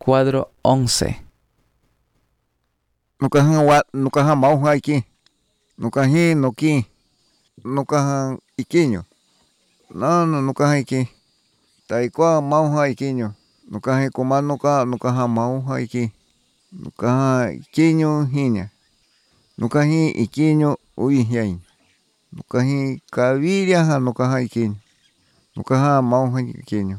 Cuadro 11. Nukajan mauja iki. Nukaji noki. Nukajan ikiño. No nukajan iki. Taikua mauja ikiño. Nukaji kumanuka nukajan mauja iki. Nukajan ikiño jiña. Nukaji ikiño uijñai. Nukaji kaviria nukajan ikiño. Nukajan mauja ikiño.